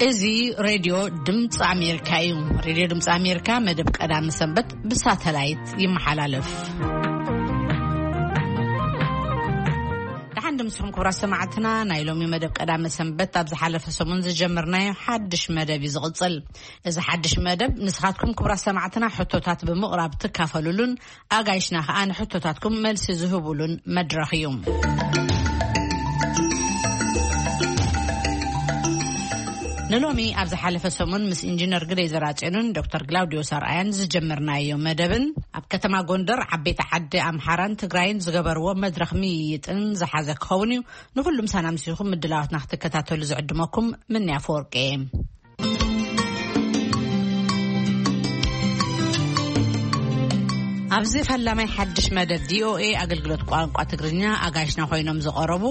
እዚ ሬድዮ ድምፂ ኣሜሪካ እዩ። ሬድዮ ድምፂ ኣሜሪካ መደብ ቀዳሚ ሰንበት ብሳተላይት ይመሓላለፍ። ደሓን ድምፅኹም ክቡራት ሰማዕትና፣ ናይ ሎሚ መደብ ቀዳሚ ሰንበት ኣብ ዝሓለፈ ሰሙን ዝጀመርናዮ ሓድሽ መደብ እዩ ዝቕፅል። እዚ ሓድሽ መደብ ንስኻትኩም ክቡራት ሰማዕትና ሕቶታት ብምቕራብ ትካፈሉሉን ኣጋይሽና ከኣ ንሕቶታትኩም መልሲ ዝህቡሉን መድረኽ እዩ። ንሎሚ ኣብ ዝሓለፈ ሰሙን ምስ ኢንጂነር ግደይ ዘራጽዮንን ዶክተር ግላውዲዮስ ኣርኣያን ዝጀመርናዮ መደብን ኣብ ከተማ ጎንደር ዓበይቲ ዓዲ ኣምሓራን ትግራይን ዝገበርዎ መድረኽ ምይይጥን ዝሓዘ ክኸውን እዩ። ንኹሉ ምሳና ምሲኹም ምድላዋትና ክትከታተሉ ዝዕድመኩም ምንያ ፈወርቂ እየ። ኣብዚ ፈላማይ ሓድሽ መደብ ቪኦኤ ኣገልግሎት ቋንቋ ትግርኛ ኣጋይሽና ኮይኖም ዝቐረቡ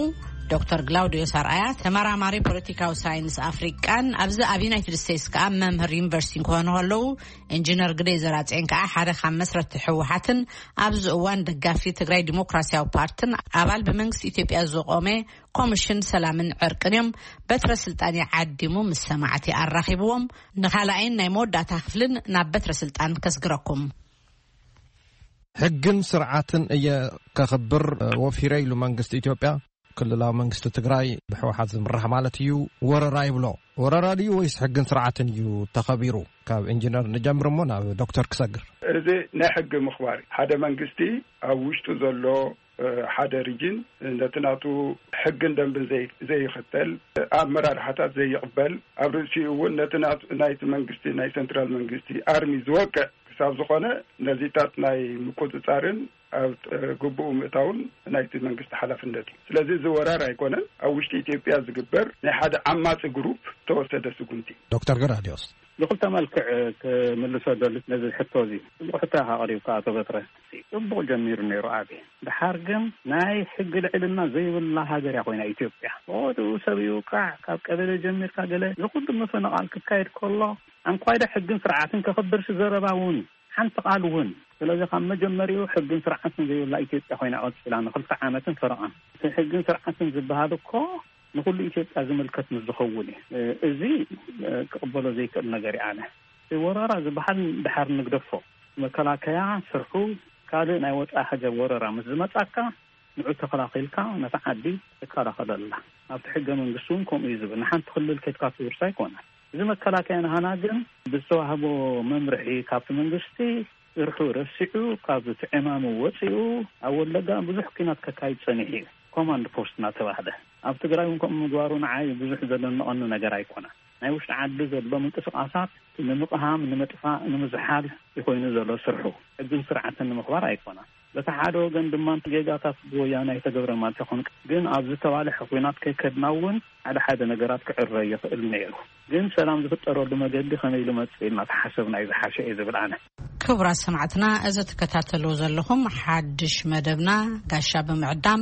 ዶክተር ግላውዲዮስ ኣርኣያ፣ ተመራማሪ ፖለቲካዊ ሳይንስ ኣፍሪቃን ኣብዚ ኣብ ዩናይትድ ስቴትስ ከኣ መምህር ዩኒቨርሲቲ ክኾኑ ከለዉ፣ ኢንጂነር ግደይ ዘራጽዮን ከኣ ሓደ ካብ መስረቲ ህወሓትን ኣብዚ እዋን ደጋፊ ትግራይ ዲሞክራሲያዊ ፓርትን ኣባል ብመንግስቲ ኢትዮጵያ ዝቖመ ኮሚሽን ሰላምን ዕርቅን እዮም። በትረ ስልጣን ይዓዲሙ ምስ ሰማዕቲ ኣራኺብዎም፣ ንኻልኣይን ናይ መወዳእታ ክፍልን ናብ በትረ ስልጣን ከስግረኩም። ሕግን ስርዓትን እየ ከኽብር ወፊረ ኢሉ መንግስቲ ኢትዮጵያ። ክልላዊ መንግስቲ ትግራይ ብህወሓት ዝምራሕ ማለት እዩ፣ ወረራ ይብሎ። ወረራ ድዩ ወይስ ሕግን ስርዓትን እዩ ተኸቢሩ? ካብ ኢንጂነር ንጀምር እሞ ናብ ዶክተር ክሰግር። እዚ ናይ ሕጊ ምኽባር እዩ። ሓደ መንግስቲ ኣብ ውሽጡ ዘሎ፣ እ፣ ሓደ ሪጅን ነቲ ናቱ ሕግን ደንብን ዘይ-፣ ዘይኽተል፣ ኣመራርሓታት ዘይቕበል፣ ኣብ ርእሲኡ እውን ነቲ ናቱ፣ ናይቲ መንግስቲ፣ ናይ ሰንትራል መንግስቲ ኣርሚ ዝወቅዕ ክሳብ ዝኾነ፣ ነዚታት ናይ ምቁጽጻርን ኣብ፣ እ፣ ግቡኡ ምእታውን ናይቲ መንግስቲ ሓላፍነት እዩ። ስለዚ እዚ ወራር ኣይኮነን፣ ኣብ ውሽጢ ኢትዮጵያ ዝግበር ናይ ሓደ ዓማጺ ግሩፕ ተወሰደ ስጉምቲ። ዶክተር ገላዲዮስ። ብኽልተ መልክዕ ክምልሶ ደሊ ነዚ ሕቶ እዚ። ጽቡቕ ሕቶ ኢኻ ኣቕሪብካ ኣቶ በትረ። ጽቡቕ ጀሚሩ ነይሩ ኣቢ። ድሓር ግን ናይ ሕጊ ልዕልና ዘይብላ ሃገር እያ ኮይና ኢትዮጵያ። ብወድኡ ሰብ ይውቃዕ፣ ካብ ቀበሌ ጀሚርካ ገለ፣ እዚ ኩሉ ምፍንቓል ክካየድ ከሎ፣ ኣንኳይዶ ሕግን ስርዓትን ከኽብርሲ ዘረባ እውን ሓንቲ ቃል እውን። ስለዚ ካብ መጀመሪኡ ሕግን ስርዓትን ዘይብላ ኢትዮጵያ ኮይና ቀጺላ ንኽልተ ዓመትን ፈረቓን። እቲ ሕግን ስርዓትን ዝበሃል እኮ ንኹሉ ኢትዮጵያ ዝምልከት ምስ ዝኸውን እዩ። እ-፣ እዚ፣ እ፣ ክቕበሎ ዘይክእል ነገር እዩ። ኣነ እቲ ወረራ ዝበሃል ድሓር ንግደፎ። መከላከያ ስርሑ ካልእ ናይ ወጻኢ ሃገር ወረራ ምስ ዝመጻካ ንዑ ተኸላኺልካ ነታ ዓዲ ትከላኸለላ። ኣብቲ ሕገ መንግስቲ እውን ከምኡ እዩ ዝብል። ንሓንቲ ክልል ከድካ ትውርሳ ኣይኮነን። እዚ መከላከያ ናሃና ግን ብዝተዋህቦ መምርሒ ካብቲ መንግስቲ ስርሑ ረሲዑ፣ ካብ እቲ ዕማሙ ወፂኡ፣ ኣብ ወለጋ ብዙሕ ኲናት ከካይድ ጸኒሑ እዩ። ኮማንድ ፖስት እናተባህለ። ኣብ ትግራይ እውን ከምኡ ምግባሩ ንዓይ ብዙሕ ዘደንቐኒ ነገር ኣይኮነን። ናይ ውሽጢ ዓዲ ዘሎ ምንቅስቓሳት ንምቕሃም፣ ንምጥፋእ፣ ንምዝሓል ይኾይኑ ዘሎ ስርሑ። ሕግን ስርዓትን ንምኽባር ኣይኮነን። በቲ ሓደ ወገን ድማ ጌጋታት ብወያነ ኣይተገብረ ማለት ይኹን፣ ግን ኣብ ዝተባልሐ ኲናት ከይከድና እውን ሓደ ሓደ ነገራት ክዕረ ይኽእል ነይሩ። ግን ሰላም ዝፍጠረሉ መገዲ ከመይ ኢሉ መጽእ ኢልና ተሓሰብና እዩ ዝሓሸ እየ ዝብል ኣነ። ክቡራት ሰማዕትና፣ እዚ ትከታተልዎ ዘለኹም ሓድሽ መደብና ጋሻ ብምዕዳም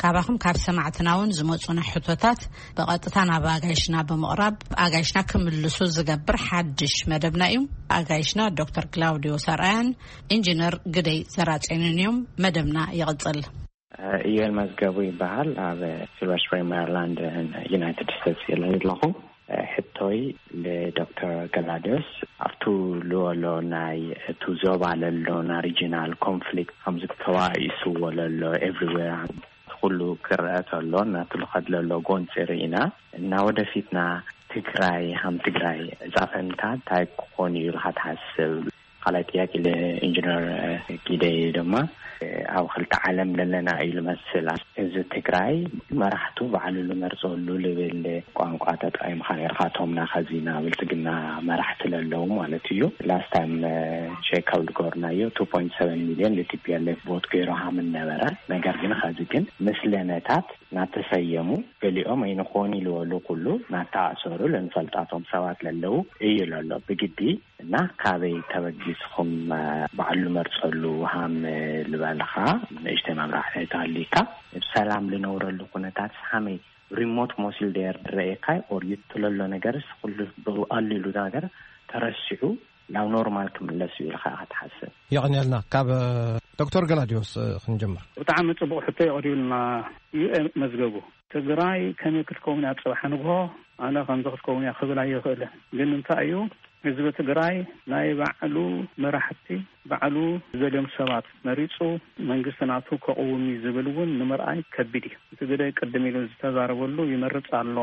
ካባኹም ካብ ሰማዕትና እውን ዝመጹና ሕቶታት ብቐጥታ ናብ ኣጋይሽና ብምቕራብ ኣጋይሽና ክምልሱ ዝገብር ሓድሽ መደብና እዩ። ኣጋይሽና ዶክተር ክላውዲዮ ሰርኣያን ኢንጂነር ግደይ ዘራጼንን እዮም። መደብና ይቕጽል። ኢዮል መዝገቡ ይበሃል። ኣብ ሲልቨር ስፕሪንግ ሜሪላንድ ዩናይትድ ስቴትስ እየ ዘለኹ። ሕቶይ ንዶክተር ገላዲዮስ፣ ኣብቱ ልወሎ ናይ እቱ ዞባ ለሎና ሪጂናል ኮንፍሊክት ከምዚ ተባኢስዎ ለሎ ኤቭሪዌር ኩሉ ክረአ ተሎ ናቱ ልኸድ ለሎ ጎንፂ ርኢና እና ወደፊትና ትግራይ ከም ትግራይ እፃ ፈንታ እንታይ ክኾን እዩ ኢልካ ትሓስብ? ካልኣይ ጥያቄ ንኢንጂነር ጊደይ ድማ፣ ኣብ ክልተ ዓለም ለለና እዩ ልመስል። እዚ ትግራይ መራሕቱ ባዕሉ ልመርፀሉ ልብል ቋንቋ ተጠቂምካ ነርካ፣ እቶም ናኸዚና ብልፅግና መራሕቲ ለለዉ ማለት እዩ። ላስት ታይም ቼክ ኣብ ልገርናዮ ቱ ፖይንት ሰቨን ሚሊዮን ል ቲ ፒ ኤል ኤፍ ቮት ገይሩ ሃምን ነበረ። ነገር ግን ኸዚ ግን ምስለነታት ናተሰየሙ ገሊኦም ኣይንኾን ኢልወሉ ኩሉ ናተኣሰሩ ልንፈልጣቶም ሰባት ለለዉ እዩ ለሎ ብግዲ እና ካበይ ተበጊስኹም፣ እ፣ ባዕሉ መርጸሉ ሃም፣ እ፣ ልበልኻ ንእሽተይ መብራህርሂ ተሃሊካ፣ ብሰላም ልነብረሉ ኩነታት ሃመይ ሪሞት ሞሲል ደየር ድረኤካይ ኦር ይትለሎ ነገርስ ኩሉ ብቐሊሉ ነገር ተረሲዑ ናብ ኖርማል ክምለስ እዩ ኢልካ ኢኻ ትሓስብ? የቐንየልና። ካብ፣ እ፣ ዶክተር ገላዲዮስ፣ እ፣ ክንጀምር። ብጣዕሚ ጽቡቕ ሕቶ የቕሪብልና ዩ ኤ መዝገቡ። ትግራይ ከመይ ክትከውን እያ ጽባሕ ንግሆ? ኣነ ከምዚ ክትከውን እያ ክብል ኣይኽእልን። ግን እንታይ እዩ፣ ህዝቢ ትግራይ ናይ ባዕሉ መራሕቲ፣ ባዕሉ ዘልዮም ሰባት መሪፁ መንግስቲ ናቱ ከቕውም እዩ ዝብል እውን ንምርኣይ ከቢድ እዩ። እቲ ግደ ቅድም ኢሉ ዝተዛረበሉ ይመርፅ ኣሎ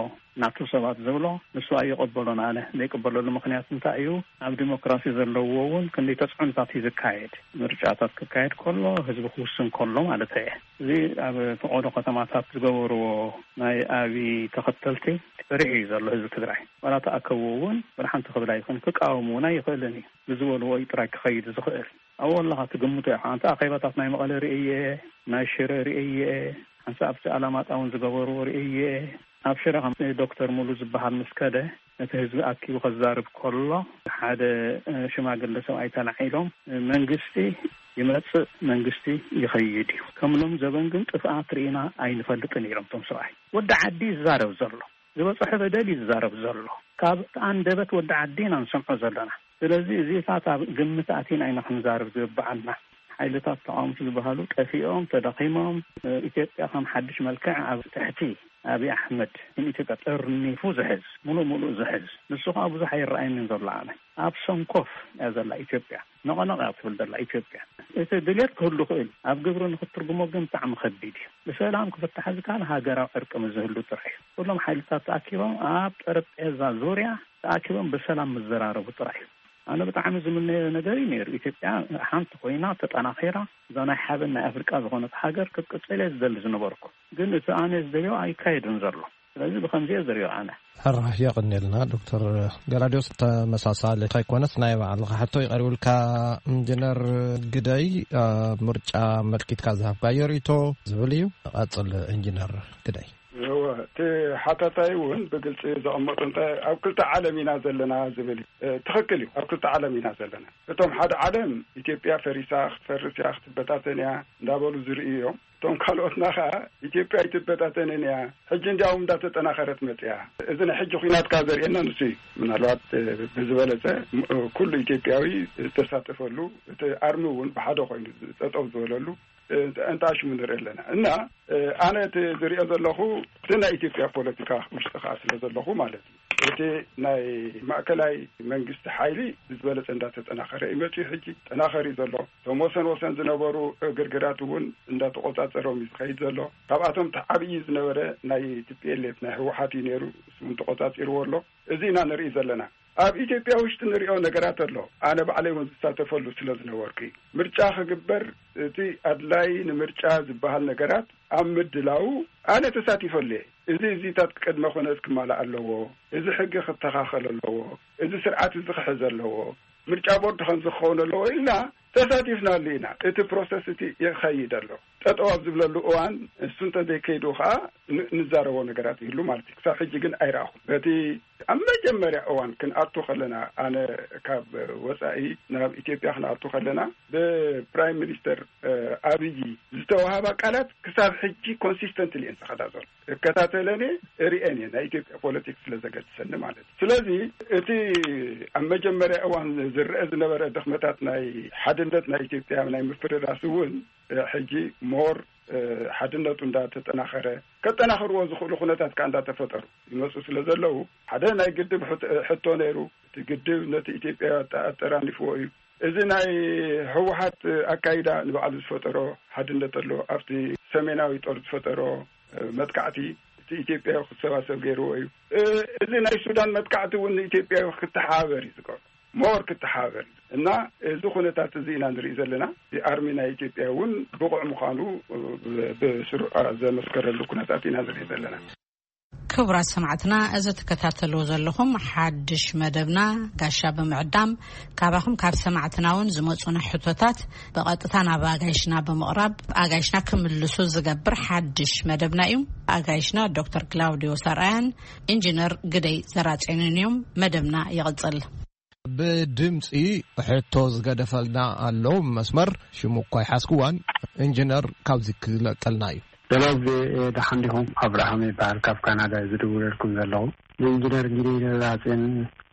ናቱ ሰባት ዝብሎ ንሱ ኣይቕበሎን። ኣነ ዘይቅበለሉ ምክንያት እንታይ እዩ፣ ኣብ ዲሞክራሲ ዘለዎ እውን ክንደይ ተፅዕኖታት እዩ ዝካየድ። ምርጫታት ክካየድ ከሎ ህዝቢ ክውስን ከሎ ማለት እየ። እዚ ኣብ ፈቐዶ ከተማታት ዝገበርዎ ናይ ኣብይ ተኸተልቲ ፈሪሑ እዩ ዘሎ ህዝቢ ትግራይ። ዋላ ተኣከቡ እውን ብርሓንቲ ክብል ኣይኽእልን፣ ክቃወሙ እውን ኣይኽእልን እዩ። ብዝበልዎ እዩ ጥራይ ክኸይድ ዝኽእል። ኣብኡ ኣለኻ ትግምቶ ኢኻ። ኣንተ ኣኼባታት ናይ መቐለ ርእየ፣ ናይ ሽረ ርእየ፣ ሓንሳእ ኣብቲ ኣላማጣ እውን ዝገበርዎ ርእየ። ኣብ ሽረ ከም ዶክተር ሙሉ ዝበሃል ምስ ከደ ነቲ ህዝቢ ኣኪቡ ከዛርብ ከሎ ሓደ ሽማግለ ሰብኣይ ተላዒሎም፣ መንግስቲ ይመጽእ መንግስቲ ይኸይድ እዩ፣ ከም ሎም ዘበን ግን ጥፍኣት ርኢና ኣይንፈልጥን ኢሎም። እቶም ሰብኣይ ወዲ ዓዲ ይዛረብ ዘሎ፣ ዝበፅሖ በደል ይዛረብ ዘሎ፣ ካብ ኣንደበት ወዲ ዓዲ ኢና ንሰምዖ ዘለና። ስለዚ እዚታት ኣብ ግምት ኣቲና ኢና ክንዛረብ ዝግብኣና። ሓይልታት ተቃውምቲ ዝበሃሉ ጠፊኦም፣ ተዳኺሞም፣ ኢትዮጵያ ከም ሓድሽ መልክዕ ኣብ ትሕቲ ኣብይ ኣሕመድ ንኢትዮጵያ ጠርኒፉ ዝሕዝ፣ ሙሉእ ሙሉእ ዝሕዝ፣ ንሱ ከዓ ብዙሕ ኣይረኣየንን ዘሎ። ኣነ ኣብ ሰንኮፍ እያ ዘላ ኢትዮጵያ፣ ነቐነቕ እያ ትብል ዘላ ኢትዮጵያ። እቲ ድሌት ክህሉ ክእል፣ ኣብ ግብሪ ንክትርጉሞ ግን ብጣዕሚ ከቢድ እዩ። ብሰላም ክፍታሕ ዝከኣል ሃገራዊ ዕርቂ ምስ ዝህሉ ጥራሕ እዩ። ኩሎም ሓይልታት ተኣኪቦም ኣብ ጠረጴዛ ዙርያ ተኣኪቦም ብሰላም ምዘራረቡ ጥራሕ እዩ። ኣነ ብጣዕሚ ዝምነዮ ነገር እዩ ነይሩ። ኢትዮጵያ ሓንቲ ኮይና ተጠናኺራ እዛ ናይ ሓበን ናይ ኣፍሪቃ ዝኾነት ሃገር ክትቅፅል እየ ዝደሊ ዝነበርኩ። ግን እቲ ኣነ ዝደልዮ ኣይካየድን ዘሎ። ስለዚ ብኸምዚ እየ ዝሪኦ ኣነ። ሕራይ የቐንየልና ዶክተር ገላዲዮስ። ተመሳሳሊ ከይኮነስ ናይ ባዕልኻ ሕቶ ይቐርብልካ። ኢንጂነር ግደይ፣ ኣብ ምርጫ ኣመልኪትካ ዝሃብካዮ ርእይቶ ዝብል እዩ። ቀጽል ኢንጂነር ግደይ። እወ፣ እቲ ሓታታይ እውን ብግልፂ ዘቐመጡ እንታይ ኣብ ክልተ ዓለም ኢና ዘለና ዝብል እዩ። እ፣ ትኽክል እዩ። ኣብ ክልተ ዓለም ኢና ዘለና። እቶም ሓደ ዓለም ኢትዮጵያ ፈሪሳ ክትፈርስ እያ ክትበታተን እያ እንዳበሉ ዝርእዩ እዮም። እቶም ካልኦትና ኸዓ ኢትዮጵያ ኣይትበታተንን እያ፣ ሕጂ እንዲያውም እንዳተጠናኸረት መፅያ። እዚ ናይ ሕጂ ኹናት ከዓ ዘርእየና ንሱ እዩ። ምናልባት እ፣ ብዝበለፀ እ፣ ኩሉ ኢትዮጵያዊ ዝተሳተፈሉ፣ እቲ ኣርሚ እውን ብሓደ ኮይኑ ጠጠው ዝበለሉ እ፣ እንተ ኣሽሙ ንርኢ ኣለና። እና እ፣ ኣነ እቲ ዝሪኦ ዘለኹ እቲ ናይ ኢትዮጵያ ፖለቲካ ውሽጢ ከዓ ስለ ዘለኹ ማለት እዩ። እቲ ናይ ማእከላይ መንግስቲ ሓይሊ ብዝበለፀ እንዳተጠናኸረ እዩ መፂኡ። ሕጂ ጠናኸር እዩ ዘሎ። እቶም ወሰን ወሰን ዝነበሩ ግርግራት እውን እንዳተቆፃፀሮም እዩ ዝኸይድ ዘሎ። ካብኣቶም እቲ ዓብዪ ዝነበረ ናይ ቲ ፒ ኤል ኤፍ ናይ ህወሓት እዩ ነይሩ። እሱ እውን ተቆፃፂርዎ ኣሎ። እዚ ኢና ንርኢ ዘለና። ኣብ ኢትዮጵያ ውሽጢ ንሪኦ ነገራት ኣሎ። ኣነ ባዕለይ እውን ዝሳተፈሉ ስለ ዝነበርኩ እዩ። ምርጫ ክግበር፣ እቲ ኣድላይ ንምርጫ ዝበሃል ነገራት ኣብ ምድላው ኣነ ተሳቲፈሉ እየ። እዚ እዚታት ቅድመ ኩነት ክማላእ ኣለዎ፣ እዚ ሕጊ ክተኻኸል ኣለዎ፣ እዚ ስርዓት እዚ ክሕዝ ኣለዎ፣ ምርጫ ቦርድ ከምዚ ክኸውን ኣለዎ ኢልና ተሳቲፍናሉ ኢና። እቲ ፕሮሰስ እቲ ይኸይድ ኣሎ። ጠጠው ኣብ ዝብለሉ እዋን እሱ እንተዘይከይዱ ከዓ ን-፣ ንዛረቦ ነገራት ይህሉ ማለት እዩ። ክሳብ ሕጂ ግን ኣይረኣኹን። በቲ ኣብ መጀመርያ እዋን ክንኣቱ ከለና፣ ኣነ ካብ ወፃኢ ናብ ኢትዮጵያ ክንኣቱ ከለና ብፕራይም ሚኒስተር እ፣ ኣብይ ዝተዋሃባ ቃላት ክሳብ ሕጂ ኮንሲስተንትሊ እየን ዝኸዳ ዘሎ። እከታተለን እየ፣ እርእየን እየ፣ ናይ ኢትዮጵያ ፖለቲክስ ስለ ዘገድሰኒ ማለት እዩ። ስለዚ እቲ ኣብ መጀመርያ እዋን ዝረአ ዝነበረ ድኽመታት ናይ ሓድነት ናይ ኢትዮጵያ ናይ ምፍርራስ እውን እ፣ ሕጂ ሞር እ፣ ሓድነቱ እንዳተጠናኸረ፣ ከጠናኽርዎ ዝኽእሉ ኩነታት ከዓ እንዳተፈጠሩ ይመፁ ስለ ዘለዉ፣ ሓደ ናይ ግድብ ሕቶ፣ ሕቶ ነይሩ። እቲ ግድብ ነቲ ኢትዮጵያ ኣጠ-፣ ኣጠራኒፍዎ እዩ። እዚ ናይ ህወሓት ኣካይዳ ንባዕሉ ዝፈጠሮ ሓድነት ኣሎ። ኣብቲ ሰሜናዊ ጦር ዝፈጠሮ እ፣ መጥቃዕቲ እቲ ኢትዮጵያ ክሰባሰብ ገይርዎ እዩ። እ፣ እዚ ናይ ሱዳን መጥቃዕቲ እውን ንኢትዮጵያ ክተሓባበር እዩ ዝገብሮ። ሞር ክተሓባበር እዩ። እና እዚ ኩነታት እዚ ኢና ንርኢ ዘለና። እዚ ኣርሚ ናይ ኢትዮጵያ እውን ብቑዕ ምዃኑ፣ እ፣ ብ-፣ ብስሩዕ ዘመስከረሉ ኩነታት ኢና ንርኢ ዘለና። ክቡራት ሰማዕትና፣ እዚ ትከታተልዎ ዘለኹም ሓድሽ መደብና ጋሻ ብምዕዳም ካባኹም ካብ ሰማዕትና እውን ዝመጹና ሕቶታት ብቐጥታ ናብ ኣጋይሽና ብምቕራብ ኣጋይሽና ክምልሱ ዝገብር ሓድሽ መደብና እዩ። ኣጋይሽና ዶክተር ክላውዲዮ ሰርኣያን ኢንጂነር ግደይ ዘራጼንን እዮም። መደብና ይቕጽል። ብድምፂ ሕቶ ዝገደፈልና ኣሎ መስመር፣ ሽሙ እኳ ይሓዝክዋን፣ ኢንጂነር ካብዚ ክለቀልና እዩ። ደሎ ግዜ ደሓን ዲኹም? ኣብርሃም ይበሃል፣ ካብ ካናዳ እዩ ዝድውለልኩም ዘለኹ። ንኢንጂነር ጊደይ ደብረጽዮን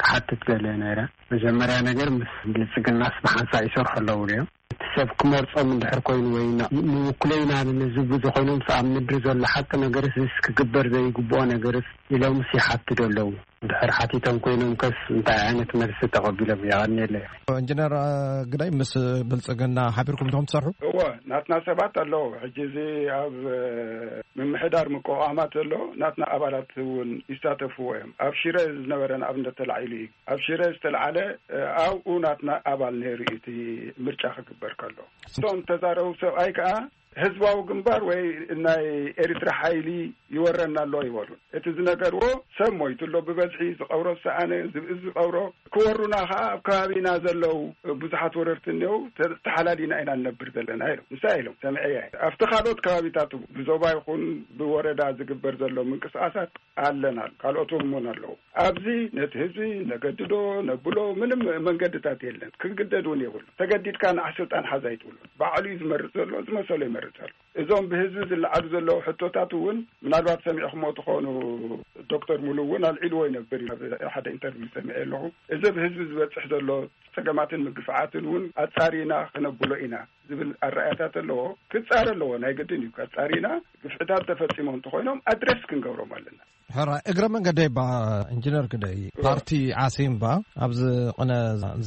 ክሓትት ደልየ ነይረ። መጀመርያ ነገር ምስ ብልጽግናስ ብሓንሳእ ይሰርሑ ኣለዉ ድዮም? እቲ ሰብ ክመርጾም እንድሕር ኮይኑ ወይ ና-፣ ንውክሎ ኢና ንዝብሉ ኮይኖም፣ ኣብ ምድሪ ዘሎ ሓቂ ነገርስ ክግበር ዘይግብኦ ነገርስ ኢሎምስ ይሓትቱ ኣለዉ። እንድሕር ሓቲቶም ኮይኖም ከስ እንታይ ዓይነት መልሲ ተቐቢሎም? የቐንየለይ። ኢንጂነር፣ እ፣ ግዳይ ምስ ብልጽግና ሓቢርኩም ዲኹም ትሰርሑ? እወ፣ ናትና ሰባት ኣለዉ። ሕጂ እዚ ኣብ፣ እ፣ ምምሕዳር ምቁቋማት ዘሎ ናትና ኣባላት እውን ይሳተፍዎ እዮም። ኣብ ሽረ ዝነበረ ንኣብነት ተላዒሉ እዩ። ኣብ ሽረ ዝተልዓለ፣ እ፣ ኣብኡ ናትና ኣባል ነይሩ እዩ እቲ ምርጫ ክግበር ከሎ። እቶም ተዛረቡ ሰብኣይ ከኣ ህዝባዊ ግንባር ወይ ናይ ኤርትራ ሓይሊ ይወረና ኣሎ ይበሉን። እቲ ዝነገርዎ ሰብ ሞይቱ ኣሎ፣ ብበዝሒ ዝቐብሮ ዝሰኣነ፣ ዝብኢ ዝቐብሮ፣ ክወሩና ከኣ ኣብ ከባቢና ዘለዉ ብዙሓት ወረርቲ እኒአው፣ ተ-፣ ተሓላሊና ኢና ንነብር ዘለና ኢሎም። ንሳ ኢሎም ሰምዐያ። ኣብቲ ካልኦት ከባቢታት ብዞባ ይኹን ብወረዳ ዝግበር ዘሎ ምንቅስቃሳት ኣለና፣ ካልኦት እውን ኣለዉ። ኣብዚ ነቲ ህዝቢ ነገድዶ ነብሎ ምንም መንገድታት የለን። ክግደድ እውን የብሉ። ተገዲድካ ንዓ ስልጣን ሓዝ ኣይትብሉ። ባዕሉ እዩ ዝመርጽ ዘሎ፣ ዝመሰሎ ይመርጽ ኣሎ። እዞም ብህዝቢ ዝለዓሉ ዘለዉ ሕቶታት እውን ምናልባት ሰሚዕኹሞ ትኾኑ፣ ዶክተር ሙሉ እውን ኣልዒልዎ ይነብር እዩ። ኣብ ሓደ ኢንተርቪው ሰሚዐ ኣለኹ። እዚ ብህዝቢ ዝበጽሕ ዘሎ ጸገማትን ምግፍዓትን እውን ኣጻሪና ክነብሎ ኢና ዝብል ኣረኣያታት ኣለዎ። ክጻረ ኣለዎ፣ ናይ ግድን እዩ። ኣጻሪና ግፍዕታት ተፈጺሞም እንተኾይኖም ኣድረስ ክንገብሮም ኣለና። ሕራይ፣ እግረ መንገደይ ባ ኢንጂነር ግደይ፣ እወ። ፓርቲ ዓሲምባ ኣብዚ ቅነ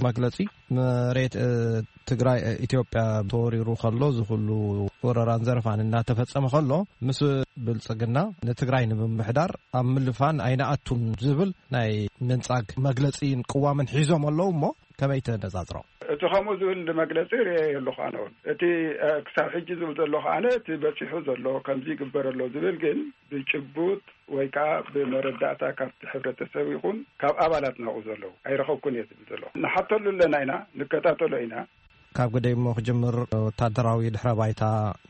መግለጺ መሬት፣ እ፣ ትግራይ፣ እ፣ ኢትዮጵያ ተወሪሩ ከሎ፣ እዚ ኩሉ ወረራን ዘረፋን እናተፈጸመ ከሎ፣ ምስ ብልጽግና ንትግራይ ንምምሕዳር ኣብ ምልፋን ኣይነኣቱን ዝብል ናይ ምንጻግ መግለጺን ቅዋምን ሒዞም ኣለዉ እሞ፣ ከመይ ተነጻጽሮ? እቲ ከምኡ ዝብል መግለጺ ርእየ ኣለኹ ኣነ እውን። እቲ፣ እ፣ ክሳብ ሕጂ ዝብል ዘለኹ ኣነ፣ እቲ በጺሑ ዘሎ ከምዚ ይግበር ኣሎ ዝብል ግን ብጭቡጥ ወይ ከዓ ብመረዳእታ ካብቲ ሕብረተሰብ ይኹን ካብ ኣባላት ናብኡ ዘለዉ ኣይረኸብኩን እየ ዝብል ዘለኹ። ንሓተሉ ኣለና ኢና፣ ንከታተሎ ኢና። ካብ ግደይ እሞ ክጅምር፣ ወታደራዊ ድሕረ ባይታ፣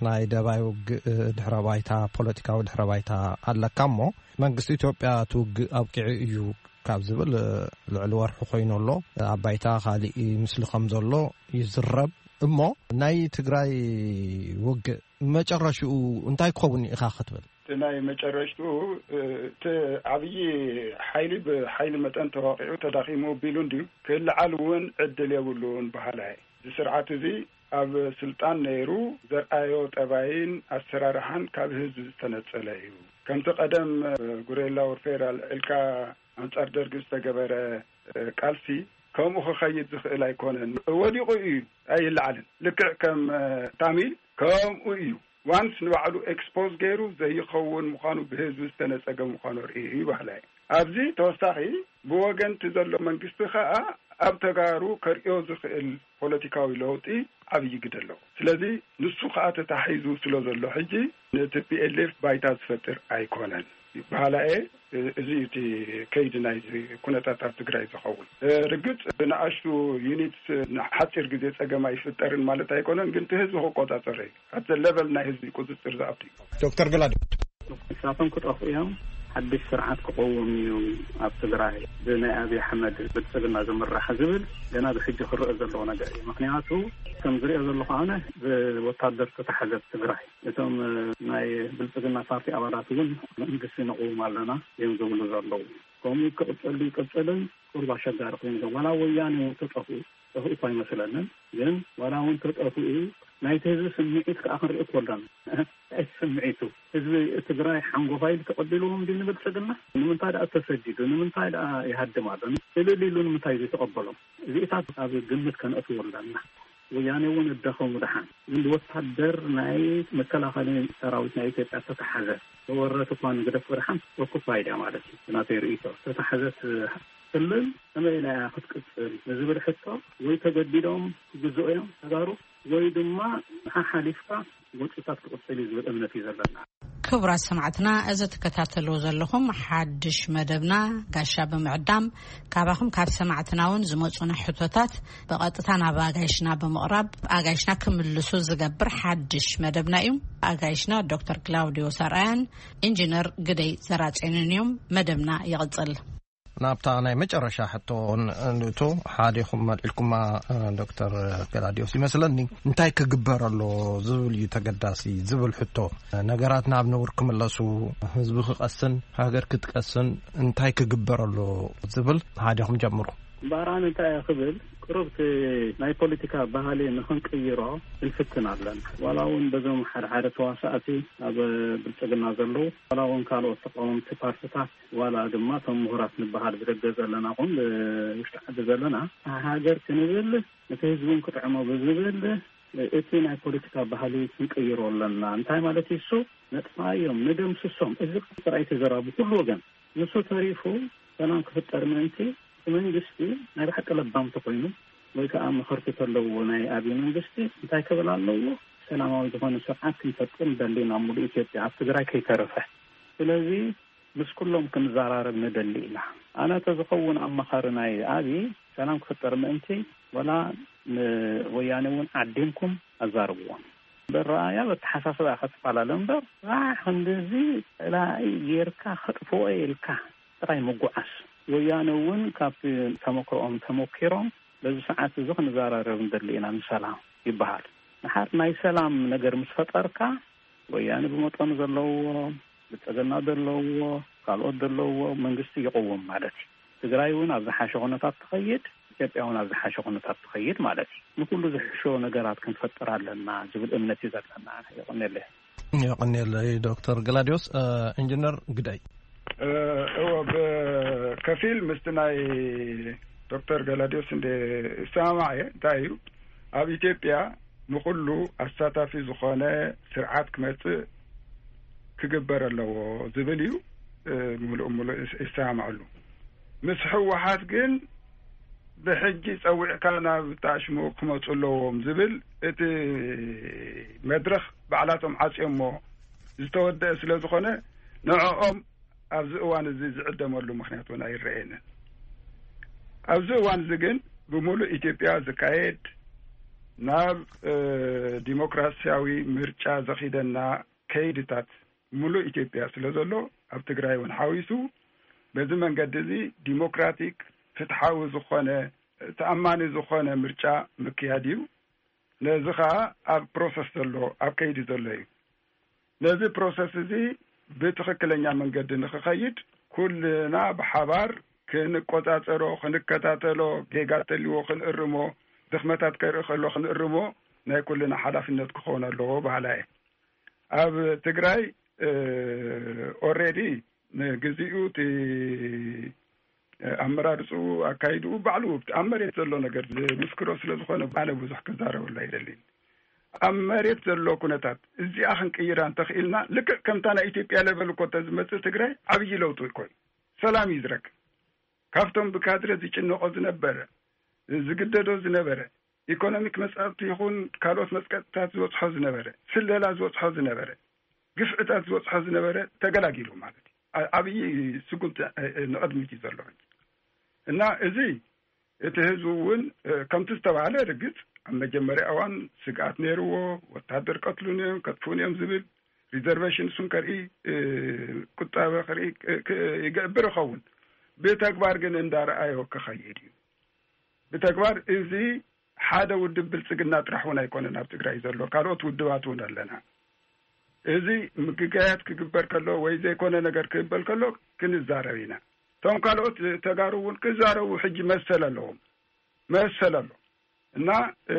ናይ ደባይ ውግእ ድሕረ ባይታ፣ ፖለቲካዊ ድሕረ ባይታ ኣለካ እሞ፣ መንግስቲ ኢትዮጵያ እቲ ውግእ ኣብቂዑ እዩ ካብ ዝብል፣ ልዕሊ ወርሒ ኮይኑ ኣሎ። ኣብ ባይታ ካሊእ ምስሊ ከም ዘሎ ይዝረብ። እሞ ናይ ትግራይ ውግእ መጨረሽኡ እንታይ ክኸውን ኢኻ ክትብል? እቲ ናይ መጨረሽትኡ፣ እ፣ እቲ ዓብዪ ሓይሊ ብሓይሊ መጠን ተዋቂዑ ተዳኺሙ ቢሉ እንድዩ፣ ክልዓል እውን ዕድል የብሉን በሃላይ። እዚ ስርዓት እዚ ኣብ ስልጣን ነይሩ ዘርኣዮ ጠባይን ኣሰራርሓን ካብ ህዝቢ ዝተነጸለ እዩ። ከምቲ ቀደም፣ እ፣ ጉሬላ ወርፌር ኣልዒልካ ኣንጻር ደርጊ ዝተገበረ፣ እ፣ ቃልሲ ከምኡ ክኸይድ ዝኽእል ኣይኮነን። ወዲቑ እዩ፣ ኣይለዓልን። ልክዕ ከም፣ እ፣ ታሚል ከምኡ እዩ። ዋንስ ንባዕሉ ኤክስፖዝ ገይሩ ዘይኸውን ምዃኑ፣ ብህዝቢ ዝተነጸገ ምዃኑ ርኢ እዩ በሃላይ። ኣብዚ ተወሳኺ ብወገንቲ ዘሎ መንግስቲ ከኣ ኣብ ተጋሩ ከርእዮ ዝኽእል ፖለቲካዊ ለውጢ ዓብዪ ግደ ኣለዎ። ስለዚ ንሱ ከኣ ተታሒዙ ስለ ዘሎ ሕጂ ንቲ ፒ ኤል ኤፍ ባይታ ዝፈጥር ኣይኮነን በሃላየ። እዚ እዩ እቲ ከይዲ ናይዚ ኩነታት ኣብ ትግራይ ዝኸውን። ርግጽ ብንኣሽቱ ዩኒትስ ንሓጺር ግዜ ጸገም ኣይፍጠርን ማለት ኣይኮነን፣ ግን እቲ ህዝቢ ክቆጻጸሮ እዩ። ኣብቲ ሌቨል ናይ ህዝቢ ቁጽጽር ዝኣቱ እዩ። ዶክተር ገላዲ። ንሳቶም ክጠፍኡ እዮም። ሓድሽ ስርዓት ክቐውም እዩ ኣብ ትግራይ ብናይ ኣብይ ኣሕመድ ብልጽግና ዝምራሕ ዝብል ገና ብሕጂ ክረአ ዘለዎ ነገር እዩ። ምኽንያቱ ከም ዝሪኦ ዘለኹ ኣነ ብወታደር ዝተታሕዘት ትግራይ፣ እቶም ናይ ብልጽግና ፓርቲ ኣባላት እውን መንግስቲ ነቕውም ኣለና እዮም ዝብሉ ዘለዉ። ከምኡ ክቕጽል ይቅጽልን ቁሩብ ኣሸጋሪ ኮይኑ ዘሎ። ዋላ ወያኔ እውን ተጠፍኡ፣ ጠፍኡ እኳ ኣይመስለንን፣ ግን ዋላ እውን ተጠፍኡ ናይቲ ህዝቢ ስምዒት ከዓ ክንርኢ እኮ ኣለና። እቲ ስምዒቱ ህዝቢ ትግራይ ሓንጎፋይ ኢሉ ተቐቢልዎም ድዩ ንብልጽግና? ንምንታይ ደኣ ተሰዲዱ? ንምንታይ ደኣ ይሃድም ኣሎ? እልል ኢሉ ንምንታይ ዘይተቐበሎም? እዚኢታት ኣብ ግምት ከነእትዎ ኣለና። ወያኔ እውን እደኸሙ ደሓን፣ ግን ወታደር ናይ መከላኸሊ ሰራዊት ናይ ኢትዮጵያ ተተሓዘ፣ ተወረት እኳ ንግደፎ ደሓን ኦኩፓይድ እያ ማለት እዩ። ናተይ ርእይቶ ተተሓዘት ክልል ከመይ ኢላ እያ ክትቅጽል ንዝብል ሕቶ፣ ወይ ተገዲዶም ክግዝኡ እዮም ተጋሩ፣ ወይ ድማ ሓሓሊፍካ ጎንፅታት ክቕፅል እዩ ዝብል እምነት እዩ ዘለና። ክቡራት ሰማዕትና፣ እዚ ትከታተልዎ ዘለኹም ሓድሽ መደብና ጋሻ ብምዕዳም፣ ካባኹም ካብ ሰማዕትና እውን ዝመፁና ሕቶታት ብቐጥታ ናብ ኣጋይሽና ብምቕራብ ኣጋይሽና ክምልሱ ዝገብር ሓድሽ መደብና እዩ። ኣጋይሽና ዶክተር ክላውዲዮስ ኣርኣያን ኢንጂነር ግደይ ዘራጼንን እዮም። መደብና ይቕፅል። ናብታ ናይ መጨረሻ ሕቶ ንእቶ፣ ሓዲኹም መልዕልኩማ፣ ዶክተር ገላዲዮስ፣ ይመስለኒ እንታይ ክግበር ኣሎ ዝብል እዩ ተገዳሲ ዝብል ሕቶ። ነገራት ናብ ነውር ክምለሱ፣ ህዝቢ ክቀስን ሃገር ክትቀስን እንታይ ክግበር ኣሎ ዝብል ሓዲኹም ጀምሩ። እምበኣር ኣነ እንታይ እየ ክብል፣ ቅሩብ እቲ ናይ ፖለቲካ ባህሊ ንኽንቅይሮ ክንፍትን ኣለና። ዋላ እውን በዞም ሓደ ሓደ ተዋሳእቲ ኣብ ብልጽግና ዘለዉ፣ ዋላ እውን ካልኦት ተቃወምቲ ፓርትታት፣ ዋላ ድማ እቶም ምሁራት ንበሃል ብደገ ዘለና ኹን ብውሽጢ ዓዲ ዘለና፣ ሃገር ክንብል፣ እቲ ህዝቢ እውን ክጥዕሞ ብዝብል፣ እቲ ናይ ፖለቲካ ባህሊ ክንቅይሮ ኣለና። እንታይ ማለት እዩ እሱ? ነጥፋዮም፣ ንደምስሶም። እዚ ጥራይ ተዘራቡ ኩሉ ወገን። ንሱ ተሪፉ ሰላም ክፍጠር ምእንቲ፣ እቲ መንግስቲ ናይ ብሓቂ ለባም ተኾይኑ፣ ወይ ከዓ መኸርቲ ተለዎ ናይ ኣብይ መንግስቲ እንታይ ክብል ኣለዎ? ሰላማዊ ዝኾነ ስርዓት ክንፈጥር ንደሊ ኢና፣ ሙሉእ ኢትዮጵያ ኣብ ትግራይ ከይተረፈ። ስለዚ ምስ ኩሎም ክንዘራረብ ንደሊ ኢና። ኣነ ተዝኸውን ኣማኻሪ ናይ ኣብይ፣ ሰላም ክፍጠር ምእንቲ፣ ወላ ንወያነ እውን ዓዲምኩም ኣዛርብዎም። ብረኣያ በተሓሳስባ ክትፈላለ እምበር፣ ራሕ ክንድዚ ፀላኢ ጌርካ ከጥፍኦ ኢልካ ጥራይ ምጉዓስ። ወያነ እውን ካብቲ ተመክሮኦም ተመኪሮም፣ በዚ ሰዓት እዚ ክንዘራረብ ንደሊ ኢና ንሰላም ይበሃል። ንሓር ናይ ሰላም ነገር ምስ ፈጠርካ፣ ወያነ ብመጠኑ ዘለዎ፣ ብልጽግና ዘለዎ፣ ካልኦት ዘለዎ መንግስቲ ይቕውም ማለት እዩ። ትግራይ እውን ኣብ ዝሓሸ ኩነታት ትኸይድ፣ ኢትዮጵያ እውን ኣብ ዝሓሸ ኩነታት ትኸይድ ማለት እዩ። ንኩሉ ዝሕሾ ነገራት ክንፈጥር ኣለና ዝብል እምነት እዩ ዘለና። የቐኔለይ። የቐኔለይ ዶክተር ገላዲዮስ። እ፣ ኢንጂነር ግዳይ። እ፣ እወ፣ ብከፊል ምስቲ ናይ ዶክተር ገላዲዮስ እንደ እሰማማዕ እየ። እንታይ እዩ፣ ኣብ ኢትዮጵያ ንኹሉ ኣሳታፊ ዝኾነ ስርዓት ክመጽእ ክግበር ኣለዎ ዝብል እዩ። እ፣ ምሉእ ምሉእ እስ-፣ ይሰማማዕሉ። ምስ ህወሓት ግን ብሕጂ ጸዊዕካ ናብ ታሽሙ ክመጹ ኣለዎም ዝብል እቲ መድረኽ ባዕላቶም ዓጽዮሞ ዝተወደአ ስለ ዝኾነ፣ ንዕኦም ኣብዚ እዋን እዚ ዝዕደመሉ ምኽንያት እውን ኣይረኣየንን። ኣብዚ እዋን እዚ ግን ብምሉእ ኢትዮጵያ ዝካየድ ናብ፣ እ፣ ዲሞክራሲያዊ ምርጫ ዘኺደና ከይድታት ምሉእ ኢትዮጵያ ስለ ዘሎ፣ ኣብ ትግራይ እውን ሓዊሱ፣ በዚ መንገዲ እዚ ዲሞክራቲክ፣ ፍትሓዊ ዝኾነ፣ ተኣማኒ ዝኾነ ምርጫ ምክያድ እዩ። ነዚ ኸኣ ኣብ ፕሮሰስ ዘሎ፣ ኣብ ከይዲ ዘሎ እዩ። ነዚ ፕሮሰስ እዚ ብትኽክለኛ መንገዲ ንኽኸይድ፣ ኩልና ብሓባር ክንቆጻጸሮ፣ ክንከታተሎ፣ ጌጋ ተልዎ ክንእርሞ፣ ድኽመታት ከርኢ ከሎ ክንእርሞ ናይ ኩልና ሓላፍነት ክኸውን ኣለዎ በሃላይ እየ። ኣብ ትግራይ፣ እ፣ ኦልሬዲ ንግዚኡ እቲ ኣመራርጽኡ፣ ኣካይድኡ ባዕሉ ኣብ መሬት ዘሎ ነገር ዝምስክሮ ስለ ዝኾነ፣ ኣነ ብዙሕ ክዛረበሉ ኣይደልን። ኣብ መሬት ዘሎ ኩነታት እዚኣ ክንቅይራ እንተኽኢልና፣ ልክዕ ከምታ ናይ ኢትዮጵያ ለበል እኮ እንተዝመጽእ ትግራይ ዓብዪ ለውጢ እኮ እዩ። ሰላም እዩ ዝረክብ። ካብቶም ብካድረ ዝጭነቆ ዝነበረ፣ ዝግደዶ ዝነበረ፣ ኢኮኖሚክ መጻብቲ ይኹን ካልኦት መጽቀጥታት ዝበጽሖ ዝነበረ፣ ስለላ ዝበጽሖ ዝነበረ፣ ግፍዕታት ዝበጽሖ ዝነበረ ተገላጊሉ ማለት እዩ። ዓ-፣ ዓብዪ ስጉምቲ፣ እ፣ እ፣ ንቕድሚት እዩ ዘሎ ሕጂ። እና እዚ እቲ ህዝቢ እውን፣ እ፣ ከምቲ ዝተባህለ ርግጽ ኣብ መጀመርያ እዋን ስግኣት ነይርዎ፣ ወታደር ቀትሉን እዮም፣ ከጥፉን እዮም ዝብል ሪዘርቬሽን እሱን ከርኢ፣ እ፣ ቁጠበ ከርኢ ክ-፣ ክ-፣ ይገብር ይኸውን። ብተግባር ግን እንዳረኣዮ ክኸይድ እዩ። ብተግባር እዚ ሓደ ውድብ ብልጽግና ጥራሕ እውን ኣይኮነን ኣብ ትግራይ ዘሎ፣ ካልኦት ውድባት እውን ኣለና። እዚ ምግጋያት ክግበር ከሎ ወይ ዘይኮነ ነገር ክግበር ከሎ ክንዛረብ ኢና። እቶም ካልኦት ተጋሩ እውን ክዛረቡ ሕጂ መሰል ኣለዎም፣ መሰል ኣሎ። እና፣ እ፣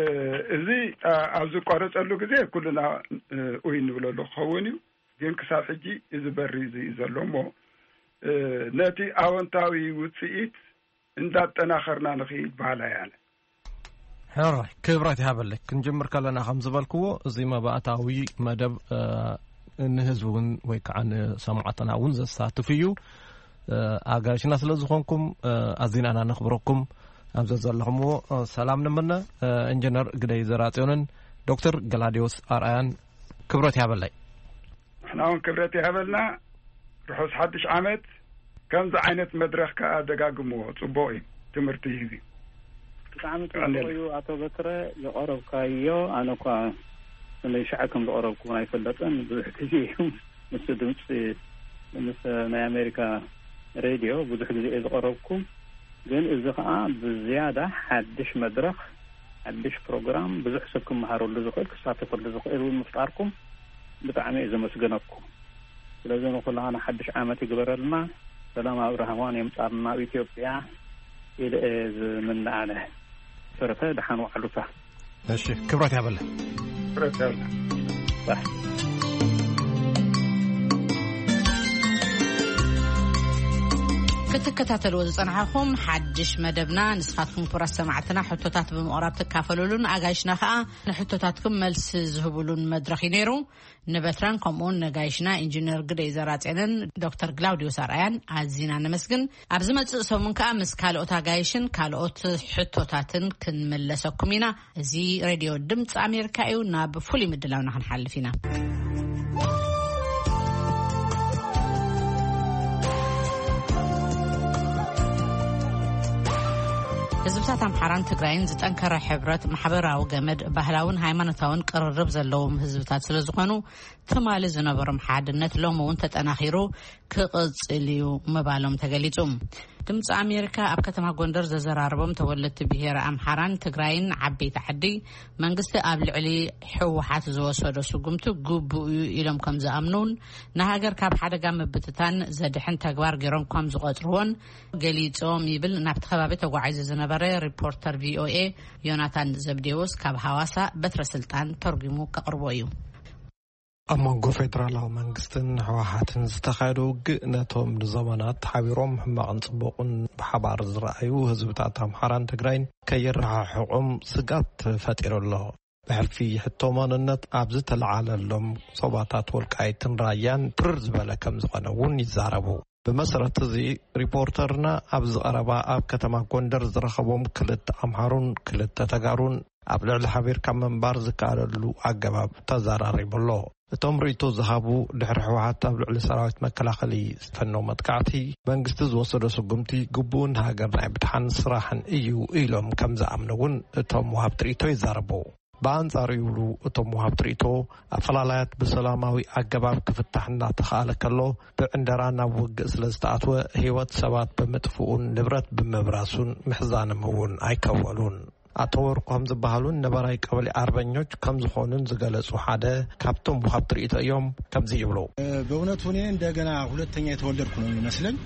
እዚ፣ አ፣ ኣብ ዝቋረጸሉ ግዜ ኩልና፣ እ፣ ኡይ እንብለሉ ክኸውን እዩ። ግን ክሳብ ሕጂ እዚ በሪ እዚ እዩ ዘሎ እሞ፣ እ፣ ነቲ ኣወንታዊ ውጽኢት እንዳጠናኸርና ንኽይድ በሃላይ ኣነ። ሕራይ ክብረት ይሃበለይ። ክንጅምር ከለና ከም ዝበልክዎ፣ እዚ መባእታዊ መደብ፣ እ፣ ንህዝቢ እውን ወይ ከዓ ንሰማዕትና እውን ዘሳትፍ እዩ። እ፣ ኣጋይሽና ስለ ዝኾንኩም፣ እ፣ ኣዚና ኢና ነኽብረኩም። ኣብዚ ዘለኹምዎ፣ እ፣ ሰላም ንምነ። እ፣ ኢንጂነር ግደይ ዘራጽዮንን ዶክተር ገላዲዮስ ኣርኣያን ክብረት ይሃበለይ። ንሕና እውን ክብረት ይሃበልና። ርሑስ ሓድሽ ዓመት። ከምዚ ዓይነት መድረኽ ከኣ ደጋግምዎ፣ ጽቡቕ እዩ፣ ትምህርቲ ይህብ እዩ። ብጣዕሚ ጽቡቕ እዩ ኣቶ በትረ ዘቐረብካዮ። ኣነ እኳ ክንደይ ሻዕ ከም ዘቐረብኩ ኣይፈለጥን። ብዙሕ ግዜ እዩ ምስ ድምፂ፣ ምስ ናይ ኣሜሪካ ሬድዮ ብዙሕ ግዜ እየ ዝቐረብኩ። ግን እዚ ኸዓ ብዝያዳ ሓድሽ መድረኽ፣ ሓድሽ ፕሮግራም፣ ብዙሕ ሰብ ክመሃረሉ ዝኽእል፣ ክሳተፈሉ ዝኽእል እውን ምፍጣርኩም ብጣዕሚ እየ ዘመስግነኩም። ስለዚ ንኹላህና ሓድሽ ዓመት ይግበረልና። ሰላም ኣብ ራህዋን የምጻልና ኣብ ኢትዮጵያ። ኢለ እየ ዝምነ ኣነ። ተረፈ ደሓን ዋዕሉካ። እሺ፣ ክብረት ያበለ። ክብረት ያበለ። ባህ። ክትከታተልዎ ዝጸናሕኹም ሓድሽ መደብና፣ ንስኻትኩም ክቡራት ሰማዕትና ሕቶታት ብምቕራብ ትካፈሉሉን ኣጋይሽና ከኣ ንሕቶታትኩም መልሲ ዝህቡሉን መድረኽ እዩ ነይሩ። ንበትራን ከምኡውን ነጋይሽና ኢንጂነር ግደይ ዘራጼንን ዶክተር ግላውዲዮስ ኣርኣያን ኣዚና ነመስግን። ኣብ ዝመጽእ ሰሙን ከኣ ምስ ካልኦት ኣጋይሽን ካልኦት ሕቶታትን ክንምለሰኩም ኢና። እዚ ሬድዮ ድምፂ ኣሜሪካ እዩ። ናብ ፍሉይ ምድላውና ክንሓልፍ ኢና። ህዝብታት ኣምሓራን ትግራይን ዝጠንከረ ሕብረት፣ ማሕበራዊ ገመድ፣ ባህላውን ሃይማኖታውን ቅርርብ ዘለዎም ህዝብታት ስለ ዝኾኑ፣ ትማሊ ዝነበሮም ሓድነት ሎሚ እውን ተጠናኺሩ ክቕጽል እዩ ምባሎም ተገሊጹ። ድምፂ ኣሜሪካ ኣብ ከተማ ጎንደር ዘዘራረቦም ተወለድቲ ብሄረ ኣምሓራን ትግራይን ዓበይቲ ዓዲ፣ መንግስቲ ኣብ ልዕሊ ህወሓት ዝወሰዶ ስጉምቲ ግቡእ እዩ ኢሎም ከም ዝኣምኑን፣ ንሃገር ካብ ሓደጋ ምብትታን ዘድሕን ተግባር ገይሮም ከም ዝቖጽርዎን ገሊጾም ይብል ናብቲ ከባቢ ተጓዒዙ ዝነበረ ሪፖርተር ቪኦኤ ዮናታን ዘብዴዎስ ካብ ሃዋሳ በትረ ስልጣን ተርጉሙ ከቕርቦ እዩ። ኣብ መንጎ ፌደራላዊ መንግስትን ህወሓትን ዝተኻየደ ውግእ፣ ነቶም ንዘመናት ሓቢሮም ሕማቕን ጽቡቕን ብሓባር ዝረኣዩ ህዝብታት ኣምሓራን ትግራይን ከየረሓሕቖም ስጋት ፈጢሩ ኣሎ። ብሕልፊ ሕቶ ማንነት ኣብ ዝተለዓለሎም ዞባታት ወልቃይትን ራያን ትርር ዝበለ ከም ዝኾነ እውን ይዛረቡ። ብመሰረት እዚ፣ ሪፖርተርና ኣብዚ ቀረባ ኣብ ከተማ ጎንደር ዝረኸቦም ክልተ ኣምሓሩን ክልተ ተጋሩን ኣብ ልዕሊ ሓቢርካ ምንባር ዝከኣለሉ ኣገባብ ተዘራሪቡ ኣሎ። እቶም ርእይቶ ዝሃቡ፣ ድሕሪ ህወሓት ኣብ ልዕሊ ሰራዊት መከላኸሊ ዝፈነው መጥቃዕቲ፣ መንግስቲ ዝወሰዶ ስጉምቲ ግቡእን ሃገር ናይ ምድሓን ስራሕን እዩ ኢሎም ከም ዝኣምኑ እውን እቶም ወሃብቲ ርእይቶ ይዛረቡ። ብኣንጻሩ ይብሉ እቶም ወሃብቲ ርእይቶ፣ ኣፈላላያት ብሰላማዊ ኣገባብ ክፍታሕ እናተኻእለ ከሎ፣ ብዕንደራ ናብ ውግእ ስለ ዝተኣትወ፣ ህይወት ሰባት ብምጥፍኡን ንብረት ብምብራሱን ምሕዛኖም እውን ኣይከወሉን። ኣቶ ወርቆም ዝበሃሉን ነባራይ ቀበሌ ኣርበኞች ከም ዝኾኑን ዝገለጹ ሓደ ካብቶም ወሃብቲ ርእይቶ እዮም። ከምዚ ይብሉ። በእውነቱ እኔ እንደገና ሁለተኛ የተወለድኩ ነው የሚመስለኝ።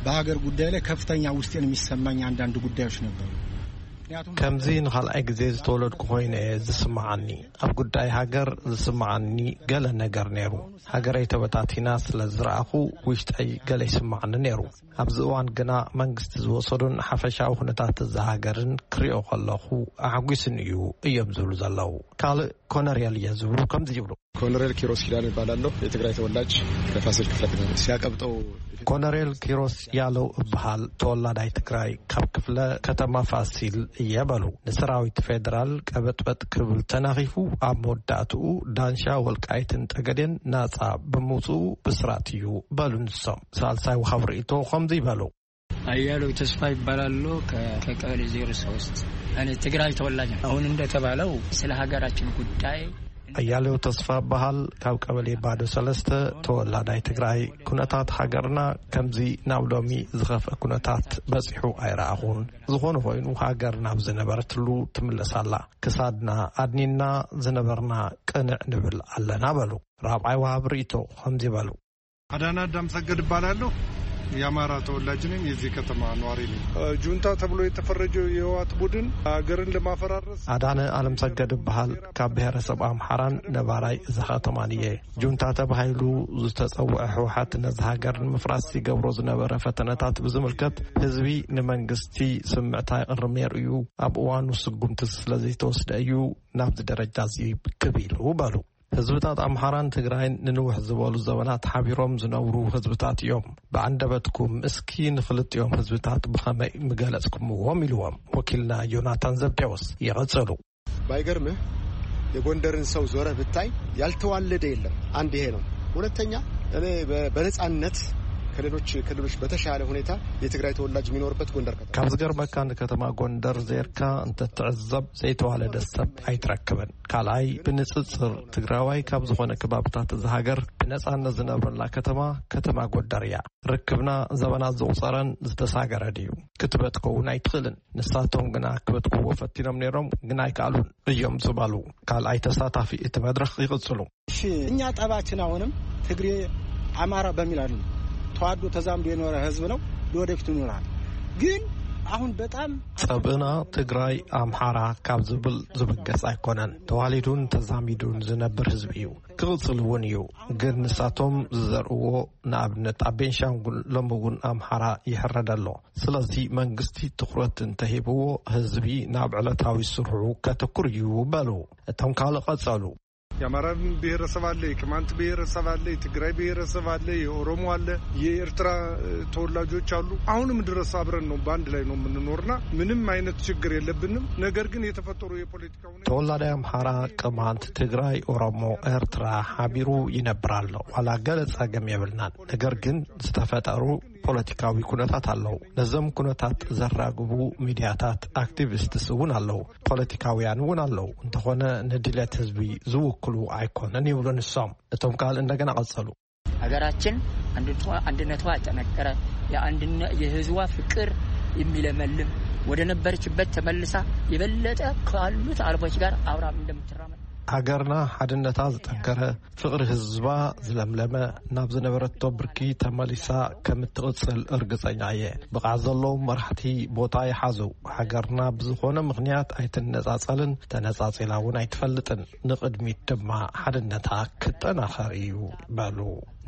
በሀገር ጉዳይ ላይ ከፍተኛ ውስጤን የሚሰማኝ አንዳንድ ጉዳዮች ነበሩ። ምክንያቱም ከምዚ ንኻልኣይ ግዜ ዝተወለድኩ ኮይነ እየ ዝስምዓኒ። ኣብ ጉዳይ ሃገር ዝስምዓኒ ገለ ነገር ነይሩ። ሃገረይ ተበታቲና ስለ ዝረኣኹ ውሽጠይ ገለ ይስምዓኒ ነይሩ። ኣብዚ እዋን ግና መንግስቲ ዝወሰዱን ሓፈሻዊ ኩነታት እዛ ሃገርን ክሪኦ ከለኹ ኣሕጒስን እዩ እዮም ዝብሉ ዘለዉ። ካልእ ኮነርየል እየ ዝብሉ ከምዚ ይብሉ። ኮነሬል ኪሮስ ኪዳን እባላለሁ። የትግራይ ተወላጅ ከፋሲል ክፍለ ከተማ። ሲያቀብጠው ኮነሬል ኪሮስ ያለው እበሃል፣ ተወላዳይ ትግራይ፣ ካብ ክፍለ ከተማ ፋሲል እየ በሉ። ንሰራዊት ፌደራል ቀበጥበጥ ክብል ተናኺፉ፣ ኣብ መወዳእትኡ ዳንሻ፣ ወልቃይትን ጠገዴን ናጻ ብምውፅኡ ብስራት እዩ በሉ ንሶም። ሳልሳይ ወሃብ ርእይቶ ከምዚ ይበሉ። አያሌው ተስፋ ይባላሉ። ከ-፣ ከቀበሌ ዜሮ ሶስት። እኔ ትግራይ ተወላጅ ነው። አሁን እንደተባለው ስለ ሀገራችን ጉዳይ። ኣያሌው ተስፋ በሃል፣ ካብ ቀበሌ ባዶ ሰለስተ፣ ተወላዳይ ትግራይ። ኩነታት ሃገርና ከምዚ ናብ ሎሚ ዝኸፍአ ኩነታት በጺሑ ኣይረኣኹን። ዝኾነ ኮይኑ ሃገር ናብ ዝነበረትሉ ትምለስ ኣላ። ክሳድና ኣድኒና ዝነበርና ቅንዕ ንብል ኣለና በሉ። ራብዓይ ወሃብ ርእይቶ ከምዚ በሉ። አዳና አዳም ሰገድ እባላለሁ። የአማራ ተወላጅ ነኝ። የዚህ ከተማ ነዋሪ ነኝ። ጁንታ ተብሎ የተፈረጀው የህወሓት ቡድን ሀገርን ለማፈራረስ አዳነ አለም ሰገድ እበሃል፣ ካብ ብሔረሰብ ኣምሓራን ነባራይ እዛ ከተማን እየ። ጁንታ ተባሂሉ ዝተጸውዐ ህወሓት ነዚ ሃገር ንምፍራስ ዝገብሮ ዝነበረ ፈተነታት ብዝምልከት ህዝቢ ንመንግስቲ ስምዕታ ይቕርም ነይሩ እዩ። ኣብ እዋኑ ስጉምቲ ስለ ዘይተወስደ እዩ ናብዚ ደረጃ እዚ ክብ ኢሉ በሉ። ህዝብታት ኣምሓራን ትግራይን ንንውሕ ዝበሉ ዘበናት ሓቢሮም ዝነብሩ ህዝብታት እዮም። ብኣንደበትኩም እስኪ ንኽልቲኦም ህዝብታት ብኸመይ ምገለጽኩምዎም? ኢልዎም ወኪልና ዮናታን ዘብዴዎስ። ይቐጽሉ። ባይገርምህ የጎንደርን ሰው ዞረህ ብታይ ያልተዋለደ የለም። አንድ ይሄ ነው። ሁለተኛ እኔ በ-፣ በነጻነት ከሌሎች ክልሎች በተሻለ ሁኔታ የትግራይ ተወላጅ የሚኖርበት ጎንደር ከተማ። ካብ ዝገርመካ ንከተማ ጎንደር ዜርካ እንተትዕዘብ ዘይተዋለደ ሰብ ኣይትረክብን። ካልኣይ ብንጽጽር ትግራዋይ ካብ ዝኾነ ከባብታት እዛ ሃገር ብነጻነት ዝነብረላ ከተማ ከተማ ጎንደር እያ። ርክብና ዘበናት ዘቑጸረን ዝተሳገረን እዩ። ክትበትኮ እውን ኣይትኽእልን። ንሳቶም ግና ክበትክዎ ፈቲኖም ነይሮም፣ ግን ኣይከኣሉን እዮም ዝበሉ ካልኣይ ተሳታፊ እቲ መድረኽ ይቕጽሉ። እሺ፣ እኛ ጠባችን አሁንም ትግሬ አማራ በሚል አይደለም። ተዋዶ ተዛምዶ የኖረ ህዝብ ነው፣ ለወደፊቱ ይኖራል። ግን አሁን በጣም ጸብእና ትግራይ ኣምሓራ ካብ ዝብል ዝብገስ ኣይኮነን። ተዋሊዱን ተዛሚዱን ዝነብር ህዝቢ እዩ፣ ክቕጽል እውን እዩ። ግን ንሳቶም ዝዘርእዎ፣ ንኣብነት ኣብ ቤንሻንጉል ሎሚ እውን ኣምሓራ ይሕረድ ኣሎ። ስለዚ መንግስቲ ትኹረት እንተሂብዎ፣ ህዝቢ ናብ ዕለታዊ ስርሑ ከተኩር እዩ በሉ። እቶም ካልእ ቀጸሉ። የአማራ ብሔረሰብ አለ፣ የቅማንት ብሔረሰብ አለ፣ የትግራይ ብሔረሰብ አለ፣ የኦሮሞ አለ፣ የኤርትራ ተወላጆች አሉ። አሁንም ድረስ አብረን ነው፣ በአንድ ላይ ነው የምንኖርና ምንም አይነት ችግር የለብንም። ነገር ግን የተፈጠሩ የፖለቲካ ሁኔታ ተወላዳይ ኣምሓራ፣ ቅማንት፣ ትግራይ፣ ኦሮሞ፣ ኤርትራ ሓቢሩ ይነብር ኣሎ። ዋላ ገለ ጸገም የብልናን። ነገር ግን ዝተፈጠሩ ፖለቲካዊ ኩነታት ኣለዉ። ነዞም ኩነታት ዘራግቡ ሚድያታት፣ ኣክቲቪስትስ እውን ኣለዉ። ፖለቲካውያን እውን ኣለዉ። እንተኾነ ንድሌት ህዝቢ ዝውክሉ ኣይኮነን ይብሉ ንሶም። እቶም ካልእ እንደገና ቀጸሉ። ሀገራችን አንድነቷ፣ አንድነቷ ያጠነከረ፣ የአንድነ-፣ የህዝቧ ፍቅር የሚለመልም፣ ወደ ነበረችበት ተመልሳ የበለጠ ካሉት አረቦች ጋር አብራ እንደምትራመድ። ሃገርና ሓድነታ ዝጠንከረ፣ ፍቕሪ ህዝባ ዝለምለመ፣ ናብ ዝነበረቶ ብርኪ ተመሊሳ ከም እትቕጽል እርግጸኛ እየ። ብቕዓት ዘለዎም መራሕቲ ቦታ ይሓዙ። ሃገርና ብዝኾነ ምኽንያት ኣይትነጻጸልን፣ ተነጻጺላ እውን ኣይትፈልጥን። ንቕድሚት ድማ ሓድነታ ክጠናኸር እዩ በሉ።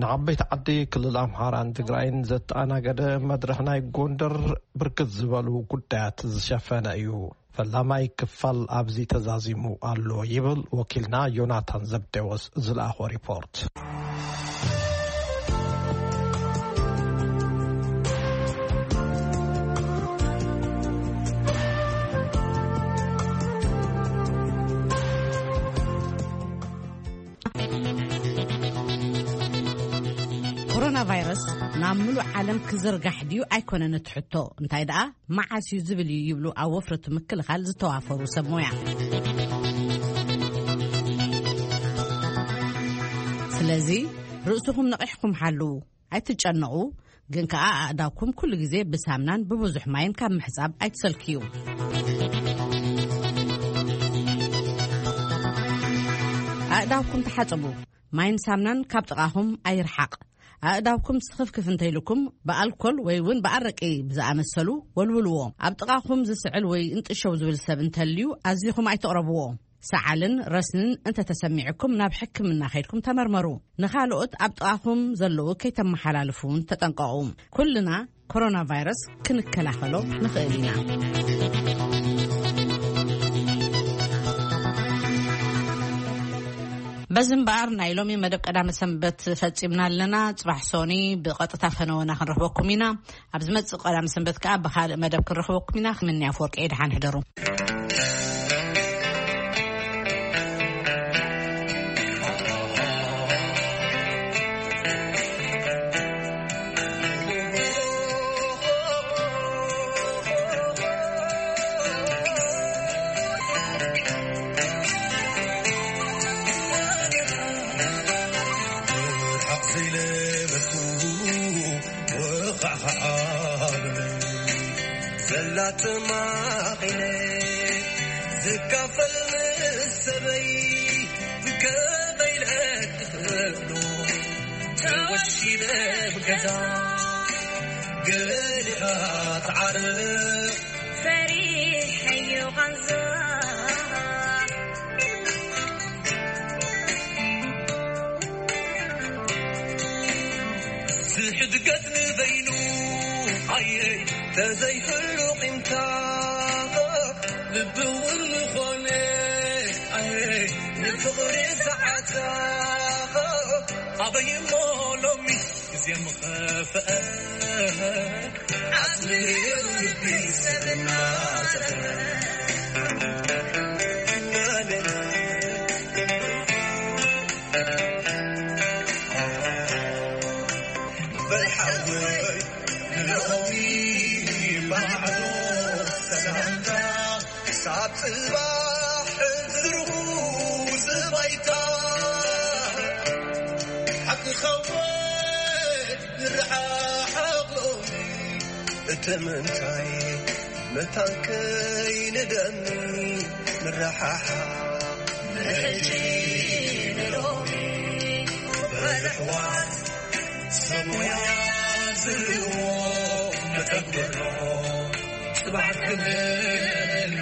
ንዓበይቲ ዓዲ ክልል ኣምሓራን ትግራይን ዘተኣናገደ መድረኽ ናይ ጎንደር ብርክት ዝበሉ ጉዳያት ዝሸፈነ እዩ። ፈላማይ ክፋል ኣብዚ ተዛዚሙ ኣሎ ይብል ወኪልና ዮናታን ዘብዴዎስ ዝለኣኾ ሪፖርት። ኮሮና ቫይረስ ናብ ምሉእ ዓለም ክዝርጋሕ ድዩ ኣይኮነን እቲ ሕቶ፣ እንታይ ደኣ መዓስ እዩ ዝብል እዩ ይብሉ ኣብ ወፍሪ እቲ ምክልኻል ዝተዋፈሩ ሰብ ሞያ። ስለዚ ርእስኹም ነቒሕኩም ሓልዉ፣ ኣይትጨነቑ፣ ግን ከኣ ኣእዳውኩም ኩሉ ግዜ ብሳምናን ብብዙሕ ማይን ካብ ምሕጻብ ኣይትሰልክዩ። ኣእዳውኩም ተሓጸቡ፣ ማይን ሳምናን ካብ ጥቓኹም ኣይርሓቕ። ኣእዳውኩም ስኽፍክፍ እንተኢልኩም ብኣልኮል ወይ እውን ብኣረቂ ብዝኣመሰሉ ወልውልዎ። ኣብ ጥቓኹም ዝስዕል ወይ እንጥሸው ዝብል ሰብ እንተልዩ ኣዚኹም ኣይትቕረብዎ። ሰዓልን ረስንን እንተተሰሚዕኩም ናብ ሕክምና ከይድኩም ተመርመሩ። ንኻልኦት ኣብ ጥቓኹም ዘለዉ ከይተመሓላልፉ እውን ተጠንቀቑ። ኩልና ኮሮና ቫይረስ ክንከላኸሎ ንኽእል ኢና። በዚ እምበኣር ናይ ሎሚ መደብ ቀዳመ ሰንበት ፈጺምና ኣለና። ጽባሕ ሶኒ ብቐጥታ ፈነወና ክንረኽበኩም ኢና። ኣብ ዝመጽእ ቀዳመ ሰንበት ከኣ ብኻልእ መደብ ክንረኽበኩም ኢና። ክምንያ ኣፈወርቂ እየ፣ ደሓን ሕደሩ። ርሓቕ ዘይለበስኩ ወኻዕኻዕ ኣበለይ፣ ዘላ ተማቒለ ዝካፈል ምስ ሰበይ፣ ከመይ ኢለ ክኽእሎ ተወሺበ ብገዛ፣ ገሊኻ ትዓርቕ ፈሪሐዮ ቃንዛ። ዝሕድገት ንበይኑ ኣየይ ተዘይህሉ ቂምታ፣ ልቢ እውን ምኾነ ኣየይ ንፍቕሪ ሰዓታ። ኣበይ እሞ ሎሚስ ግዜ ምኸፍአ፣ ዓጽሚ ልቢ ሰብ እናጸፈ። በል ሓወይ ንሎሚ ማዕዶ ሰላምታ፣ ክሳብ ጽባሕ ዝርኹ ዝባይታ። ሓቅኻ ወይ ንረሓሓቕ ሎሚ፣ እቲ ምንታይ መታን ከይንደሚ ንረሓሓቕ። ንሕጂ ንሎሚ በል ኣሕዋት፣ ሰብ ሞያ ዝህልዎ መተግበሮ። ጽባሕ ክብል